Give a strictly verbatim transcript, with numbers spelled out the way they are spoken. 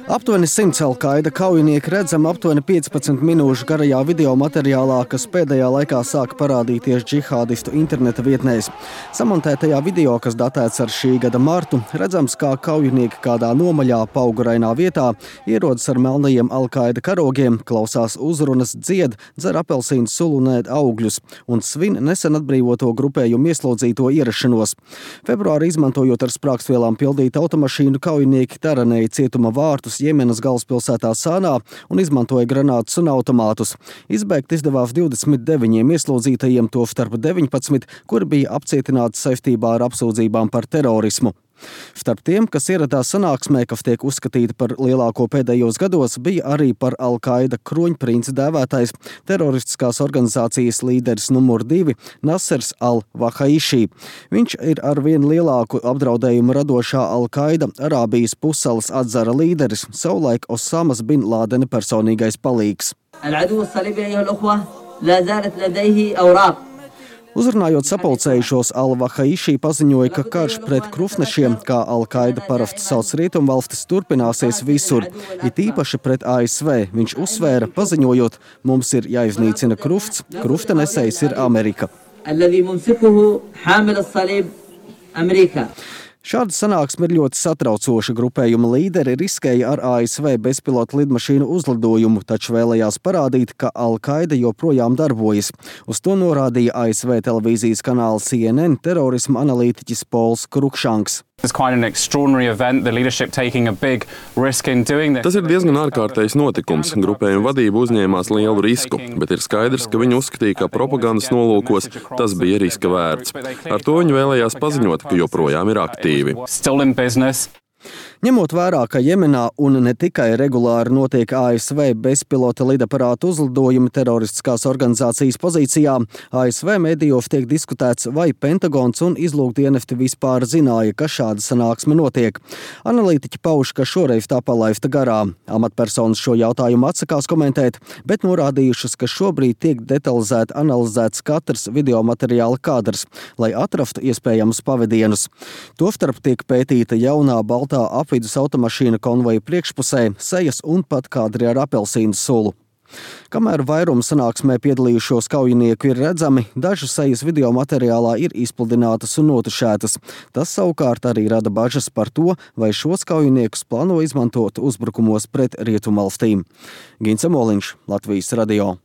Aptuveni simts Al-Qaida kaujinieki redzami aptuveni piecpadsmit minūšu garajā video materiālā, kas pēdējā laikā sāka parādīties džihādistu interneta vietnēs. Samontētajā video, kas datēts ar šī gada martu, redzams, kā kaujinieki kādā nomaļā paugurainā vietā ierodas ar melnajiem Al-Qaida karogiem, klausās uzrunas, dzied, dzer apelsīnu sulu un ēd augļus un svin nesen atbrīvoto grupējumu ieslodzīto ierašanos. Februāri izmantojot ar sprākstvielām pildītu automašīnu, kaujinieki taranēja cietuma vārtus Jemenas galvaspilsētā Sānā un izmantoja granātus un automātus. Izbēgt izdevās divdesmit deviņiem ieslodzītajiem, to starp deviņpadsmit, kuri bija apcietināti saistībā ar apsūdzībām par terorismu. Starp tiem, kas ieradās sanāksmē, kas tiek uzskatīta par lielāko pēdējos gados, bija arī par Al-Qaida kroņprinci dēvētais teroristiskās organizācijas līderis numur divi Nasers al-Wahaiši. Viņš ir ar vien lielāku apdraudējumu radošā Al-Qaida Arābijas pussalas atzara līderis, savulaik Osamas bin Lādena personīgais palīgs. Uzrunājot sapulcējušos, Al-Wahaiši paziņoja, ka karš pret krufnešiem, kā Al-Qaida parasti sauc rietumvalstis, turpināsies visur, it īpaši pret A S V. Viņš uzsvēra, paziņojot, mums ir jāiznīcina krufts, krufta nesējs ir Amerika. Šāda sanāksme ir ļoti satraucoša. Grupējuma līderi riskēja ar A S V bezpilota lidmašīnu uzlidojumu, taču vēlējās parādīt, ka Al-Qaida joprojām darbojas. Uz to norādīja A S V televīzijas kanāla C N N terorisma analītiķis Pols Krukšanks. Tas ir diezgan ārkārtējs notikums. Grupējuma vadība uzņēmās lielu risku, bet ir skaidrs, ka viņi uzskatīja, ka propagandas nolūkos tas bija riska vērts. Ar to viņi vēlējās paziņot, ka joprojām ir aktīvi. Ņemot vērā, ka Jemenā un ne tikai regulāri notiek A S V bezpilota lidaparātu uzlidojumi teroristiskās organizācijas pozīcijā, A S V medijos tiek diskutēts, vai Pentagons un izlūkdienesti vispār zināja, ka šāda sanāksme notiek. Analītiķi pauž, ka šoreiz tā palaista garām. Amatpersonas šo jautājumu atsakās komentēt, bet norādījušas, ka šobrīd tiek detalizēti analizēts katrs videomateriāla kadrs, lai atrastu iespējamus pavadienus. Tostarp tiek pētīta jaunā baltā apvidus automašīna konvoja priekšpusē, sejas un pat kadri ar apelsīnu sulu. Kamēr vairuma sanāksmē piedalījušos kaujinieku ir redzami, dažu sejas video materiālā ir izpludinātas un notušētas. Tas savukārt arī rada bažas par to, vai šos kaujiniekus plāno izmantot uzbrukumos pret rietumvalstīm. Gins Amoliņš, Latvijas radio.